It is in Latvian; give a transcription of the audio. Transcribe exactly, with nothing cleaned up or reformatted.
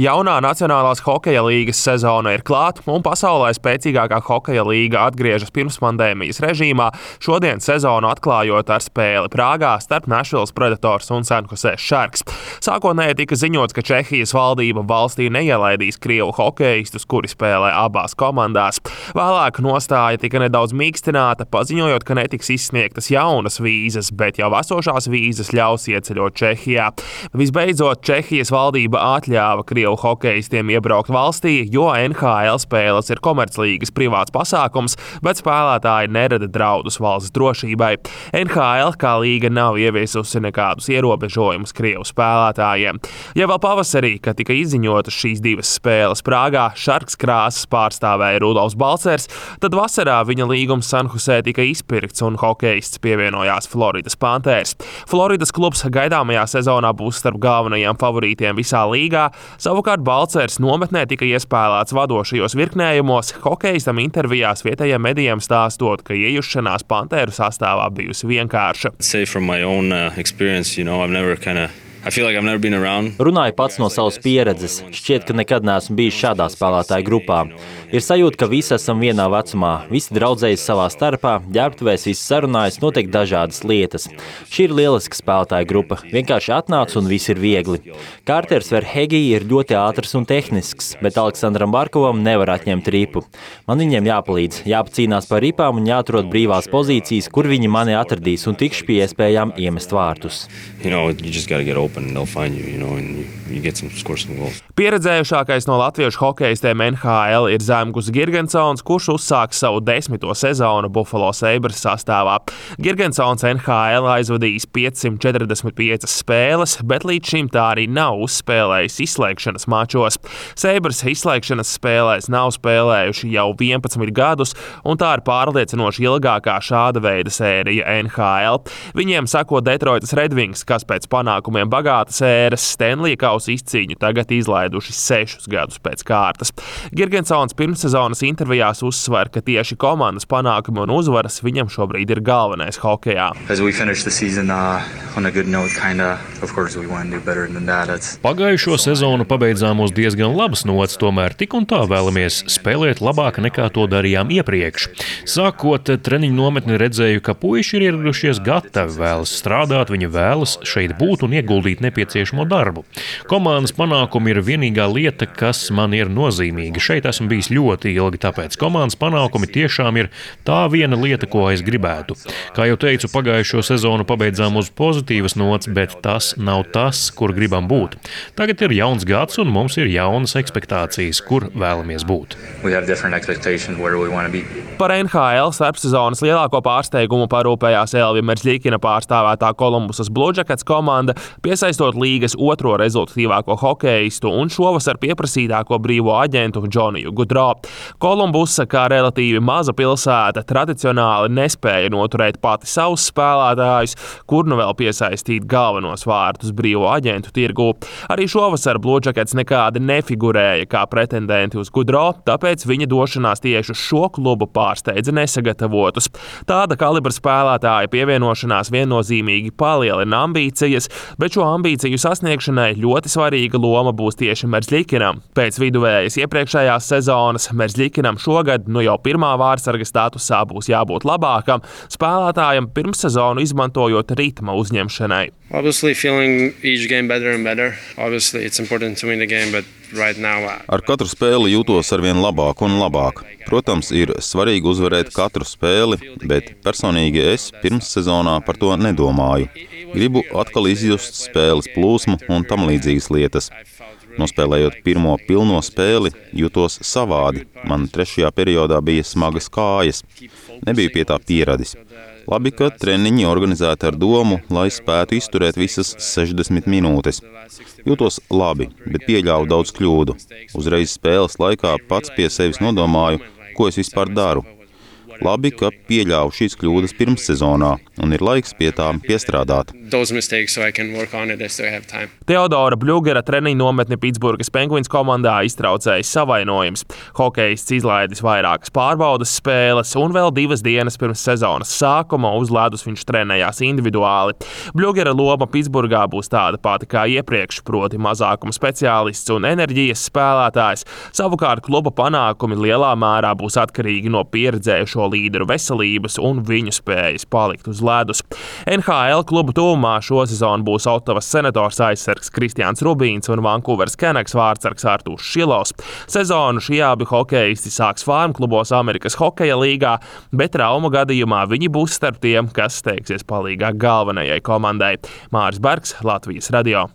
Jaunā Nacionālās hokeja līgas sezona ir klāt, un pasaulē spēcīgākā hokeja līga atgriežas pirmspandēmijas režīmā, šodien sezonu atklājot ar spēli Prāgā starp Nashvilles Predators un San Jose Sharks. Sākotnēji tika ziņots, ka Čehijas valdība valstī neielaidīs krievu hokeistus, kuri spēlē abās komandās. Vēlāk nostāja tika nedaudz mīkstināta, paziņojot, ka netiks izsniegtas jaunas vīzas, bet jau esošās vīzas ļaus ieceļot Čehijā. Visbeidzot, Čehijas valdība atļāva krievu hokeistiem iebraukt valstī, jo N H L spēles ir komerclīgas privāts pasākums, bet spēlētāji nerada draudus valsts drošībai. N H L kā līga nav ieviesusi nekādus ierobežojumus krievu spēlētājiem. Ja vēl pavasarī, kad tika izziņotas šīs divas spēles Prāgā, Sharks krāsas pārstāvēja Rudolfs Balcers, tad vasarā viņa līgums San Jose tika izpirkts un hokeists pievienojās Floridas Panthers. Floridas klubs gaidāmajā sezonā būs starp galvenajiem favorītiem visā līgā. Savukārt Balcers nometnē tika iespēlēts vadošajos virknējumos, hokeistam intervijās vietējiem medijiem stāstot, ka iejušanās Panteru sastāvā bijusi vienkārša. Runāju pats no savas pieredzes. Šķiet, ka nekad neesmu bijis šādā spēlētāju grupā. Ir sajūta, ka visi esam vienā vecumā, visi draudzējas savā starpā, ģērbtuvēs visi sarunājas, notiek dažādas lietas. Šī ir lieliska spēlētāju grupa. Vienkārši atnāc un viss ir viegli. Kārters Verhegi ir ļoti ātrs un tehnisks, bet Aleksandram Barkovam nevar atņemt ripu. Man viņiem jāpalīdz, jāpacīnās par ripām un jāatrod brīvās pozīcijas, kur viņi mani atradīs un tikšu pie iespējām iemest vārtus. You know, you just gotta get open and they'll find you, you know, and you, you get some, score some goals. Pieredzējušākais no latviešu hokeistiem N H L ir Zemgus Girgensons, kurš uzsāks savu desmito sezonu Buffalo Sabres sastāvā. Girgensons N H L aizvadījis piecsimt četrdesmit piecas spēles, bet līdz šim tā arī nav uzspēlējis izslēgšanas mačos. Sabres izslēgšanas spēlēs nav spēlējuši jau vienpadsmit gadus, un tā ir pārliecinoši ilgākā šāda veida sērija N H L. Viņiem sako Detroitas Red Wings, kas pēc panākumiem bagātas ēras Stanley kausa izcīņu tagad izlaiduši sešus gadus pēc kārtas. Girgensons pirmssezonas intervijās uzsver, ka tieši komandas panākumi un uzvaras viņam šobrīd ir galvenais hokejā. Pagājušo sezonu pabeidzām uz diezgan labas nots, tomēr tik un tā vēlamies spēlēt labāk nekā to darījām iepriekš. Sākot treniņu nometni redzēju, ka puiši ir ieradušies gatavi, vēlas strādāt, viņi vēlas šeit būt un ieguldīt nepieciešamo darbu. Komandas panākumi ir vienīgā lieta, kas man ir nozīmīga. Šeit esmu bijis ļoti ilgi, tāpēc komandas panākumi tiešām ir tā viena lieta, ko es gribētu. Kā jau teicu, pagājušo sezonu pabeidzām uz pozitīvas nots, bet tas nav tas, kur gribam būt. Tagad ir jauns gads un mums ir jaunas ekspektācijas, kur vēlamies būt. Par N H L starpsezonas lielāko pārsteigumu parūpējās Elvija Merzļikina pārstāvētā Kolumbusas Blue Jackets komanda, piesaistot līgas otro rezultatīvāko hokeistu un šovasar pieprasītāko brīvo aģentu Džoniju Gudro. Kolumbusa, kā relatīvi maza pilsēta, tradicionāli nespēja noturēt pati savus spēlētājus, kur nu vēl piesaistīt galvenos vārtus brīvo aģentu tirgū. Arī šovasar Blue Jackets nekādi nefigurēja kā pretendenti uz Gudro, tāpēc viņa došanās tieši uz šo klubu pārsteidza nesagatavotus. Tāda kalibra spēlētāja pievienošanās viennozīmīgi palielina ambīcijas, bet šo ambīciju sasniegšanai ļoti svarīga loma būs tieši Merzļikinam. Pēc viduvējas iepriekšējās sezonas Merzļikinam šogad nu jau pirmā vārtsarga statusā būs jābūt labākam, spēlētājam pirmssezonu izmantojot ritma uzņemšanai. Obviously feeling each game better and better. Obviously it's important to win the game, but right now Ar katru spēli jūtos arvien labāk un labāk. Protams, ir svarīgi uzvarēt katru spēli, bet personīgi es pirmssezonā par to nedomāju. Gribu atkal izjust spēles plūsmu un tam līdzīgas lietas. Nospēlējot pirmo pilno spēli, jutos savādi. Man trešajā periodā bija smagas kājas. Nebiju pie tā pieradis. Labi, ka treniņi organizēti ar domu, lai spētu izturēt visas sešdesmit minūtes. Jūtos labi, bet pieļāvu daudz kļūdu. Uzreiz spēles laikā pats pie sevis nodomāju, ko es vispār daru. Labi, ka pieļāvu šīs kļūdas pirmssezonā, un ir laiks pie tām piestrādāt. Teodora Bļugera treniņu nometni Pitsburgas Penguins komandā iztraucējis savainojums. Hokejists izlaidis vairākas pārbaudas spēles, un vēl divas dienas pirms sezonas sākuma uz ledus viņš trenējās individuāli. Bļugera loma Pitsburgā būs tāda pati kā iepriekš, proti mazākuma speciālists un enerģijas spēlētājs. Savukārt kluba panākumi lielā mērā būs atkarīgi no pieredzējušo līderu veselības un viņu spējas palikt uz ledus. N H L klubu tuvumā šosezon būs Ottavas Senators aizsargs Kristiāns Rubīns un Vankūveras Canucks vārtsargs Artūrs Šilovs. Sezonu šie abi hokejisti sāks farm klubos Amerikas hokeja līgā, bet traumu gadījumā viņi būs starp tiem, kas steigsies palīgā galvenajai komandai. Māris Bergs, Latvijas radio.